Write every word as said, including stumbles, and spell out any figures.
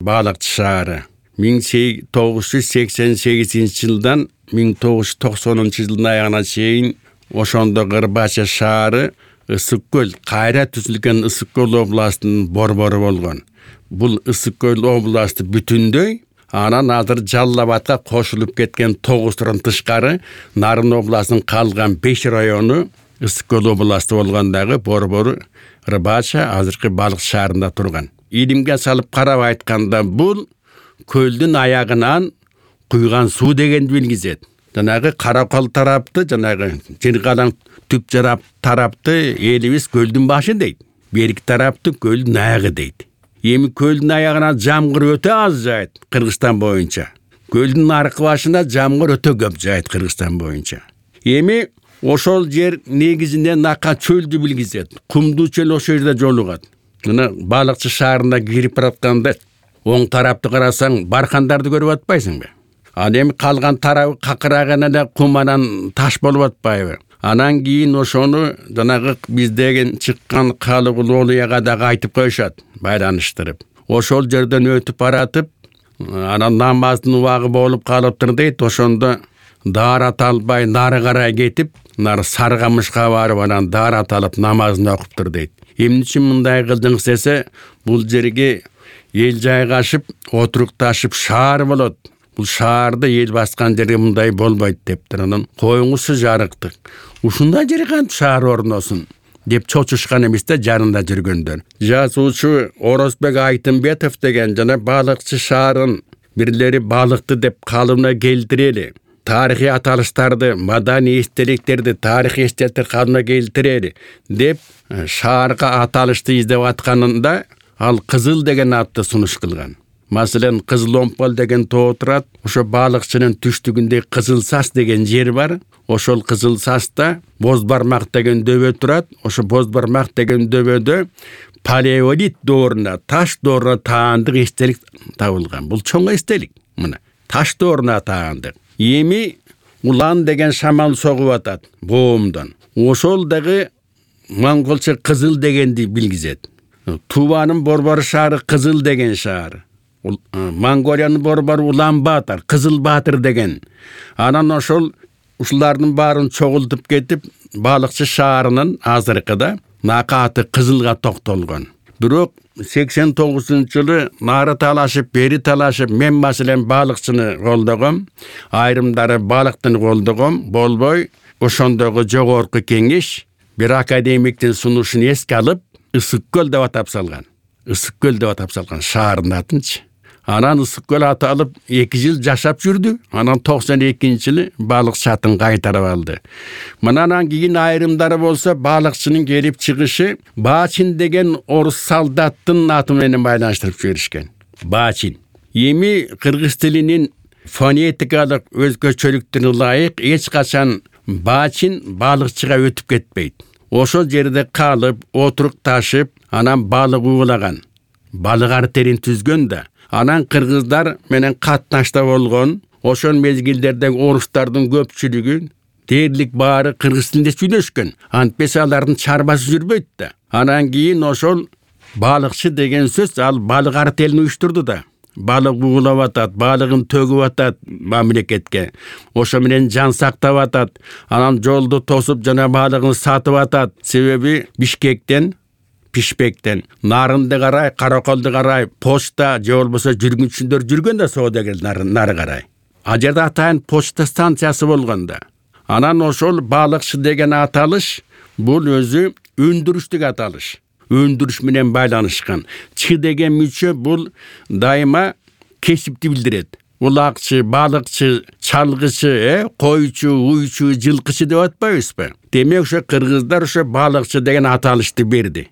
балыкчы шаары. миң тогуз жүз сексен сегизинчи жылдан миң тогуз жүз токсонунчу жылдын аягына чейин ошондо Кырбача шаары Ысык көл, кайра түзүлгөн Ысык көл областынын борбору болгон. Бул Ысык көл областы бүтүндөй, анан азыр Жалал Абадка кошулуп кеткен тогуздан тышкары Нарын областынын калган беш району Ысык көл областы болгондагы борбору Кырбача азыркы балык шаарында турган. Илимге салып карап айтканда бул көлдүн аягынан куйган суу дегенди билгизет. Жанагы Каракол тарапты, жанагы Жыргалаң түп жарап тарапты элибиз көлдүн башы дейт. Берки тарапты көлдүн аягы дейт. Эми көлдүн аягына жамгыр өтө аз жайт Кыргызстан боюнча. Көлдүн аркы башында жамгыр өтө көп жайт Кыргызстан боюнча. Эми ошол жер негизинде нака чөлдү билгизет. Кумдуу чөл ошол жерде жолугат. Мына балыкчы шаарына кирип баратканда оң тарапты карасаң баркандарды көрүп атпайсыңбы? Ал эми калган тарабы какыраган эле кум анан таш болуп атпайбы? Анан кийин ошону жанагы биздеген чыккан Калыгул Олуяга дагы айтып коюшат, байланыштырып. Ошол жерден өтүп баратып, анан намаздын убагы болуп калыптыр дейт. Ошондо даарат албай нары карай кетип, нары Саргамышка барып, анан даарат алып намазын окуптур дейт. Эмне үчүн мындай кылдыңыз десе, бул жерге эл жайгашып, отурукташып шаар болот. Бул шаарды эл баскан жерге мындай болбойт дептир. Анан коюңузчу жарыктык. Ушундай жерге кантип шаар орносун деп чочушкан эмес да жанында жүргөндөр. Жазуучу Орозбек Айтымбетов деген жана балыкчы шаарын бирлери балыкты деп калыбына келтирели. Тарыхый аталыштарды, маданий эстеликтерди, тарыхый эстеликтерди калыбына келтирели деп шаарга аталышты издеп атканында ал Кызыл деген атты сунуш кылган. Маселен, Кызыл Омпол деген тоо турат. Ошо балыкчынын түштүгүндө Кызыл Сас деген жер бар. Ошол Кызыл Саста Боз бармак деген дөбө турат. Ошо Боз бармак деген дөбөдө палеолит дооруна, таш дооруна таандык эстелик табылган. Бул чоң эстелик. Мына таш дооруна таандык. Эми Улан деген шамал согуп атат боомдон. Ошол дагы монголча Кызыл дегенди билгизет. Туванын борбор шаары Кызыл деген шаар. Монголиянын борбору Улан Баатар, Кызыл Баатыр деген. Анан ошол ушулардын баарын чогултуп кетип, балыкчы шаарынын азыркыда накаты Кызылга токтолгон. Бирок сексен тогузунчу жылы нары талашып, бери талашып, мен маселен балыкчыны колдогом, айрымдары балыктын колдогом, болбой, ошондогу жогорку кеңеш бир академиктин сунушун эске алып, Ысык көл деп атап салган. Ысык көл деп атап салган шаардын атынчы. Анан Ысык көл аталып эки жыл жашап жүрдү. Анан токсон экинчи жылы балыкчы атын кайтарып алды. Мындан кийин айрымдары болсо балыкчынын келип чыгышы Баачин деген орус солдаттын аты менен байланыштырып жиберишкен. Баачин. Эми кыргыз тилинин фонетикалык өзгөчөлүктөрүнө ылайык эч качан Баачин балыкчыга өтүп кетпейт. Ошол жерде калып, отурукташып, анан балык уулаган. Балык артерин түзгөн да. Анан кыргыздар менен катнашта болгон. Ошол мезгилдердеги орустардын көпчүлүгү дээрлик баары кыргыз тилинде сүйлөшкөн. Антпесе алардын чарбасы жүрбөйт да. Анан кийин ошол балыкчы деген сөз ал балык артелин уюштурду да. Балык уулап атат, балыгын төгүп атат мамлекетке. Ошо менен жан сактап атат. Анан жолду тосуп жана балыгын сатып атат. Себеби Бишкектен, Пишпектен, Нарынды карай, Караколду карай, почта же болбосо жүргүнчүлөр жүргөн да соодагер нары карай. А жерде атайын почта станциясы болгон да. Анан ошол балыкчы деген аталыш бул өзү өндүрүштүк аталыш. Өндүрүш менен байланышкан. Чы деген мүчө бул дайыма кесипти билдирет. Улакчы, балыкчы, чалгычы, э, койчу, уйчу, жылкычы деп атпайбызбы? Демек ошо кыргыздар ошо балыкчы деген аталышты берди.